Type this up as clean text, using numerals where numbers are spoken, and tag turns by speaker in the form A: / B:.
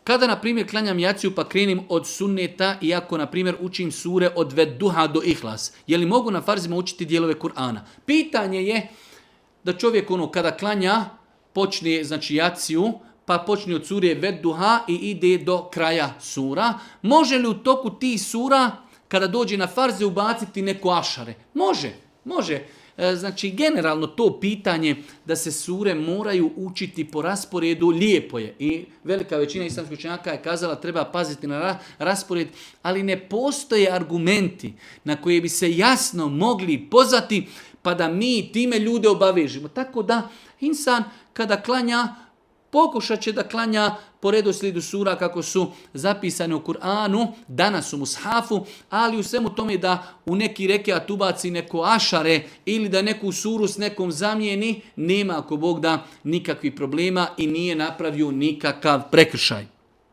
A: Kada, na primjer, klanjam jaciju pa krenim od sunneta, iako, na primjer, učim sure od Vedduha do Ihlas, je li mogu na farzima učiti dijelove Kur'ana? Pitanje je da čovjek kada klanja, počne znači jaciju, pa počne od sure Vedduha i ide do kraja sura. Može li u toku tih sura, kada dođe na farze, ubaciti neko ašare? Može. Znači, generalno to pitanje da se sure moraju učiti po rasporedu, lijepo je. I velika većina islamskih učenjaka je kazala treba paziti na raspored, ali ne postoje argumenti na koje bi se jasno mogli pozvati pa da mi time ljude obavežimo. Tako da insan kada klanja, pokušat će da klanja po redoslijedu sura kako su zapisane u Kur'anu, danas u mushafu, ali u svemu tome da u neki rekiat ubaci neko ašare ili da neku suru s nekom zamijeni, nema ako Bog da nikakvih problema i nije napravio nikakav prekršaj.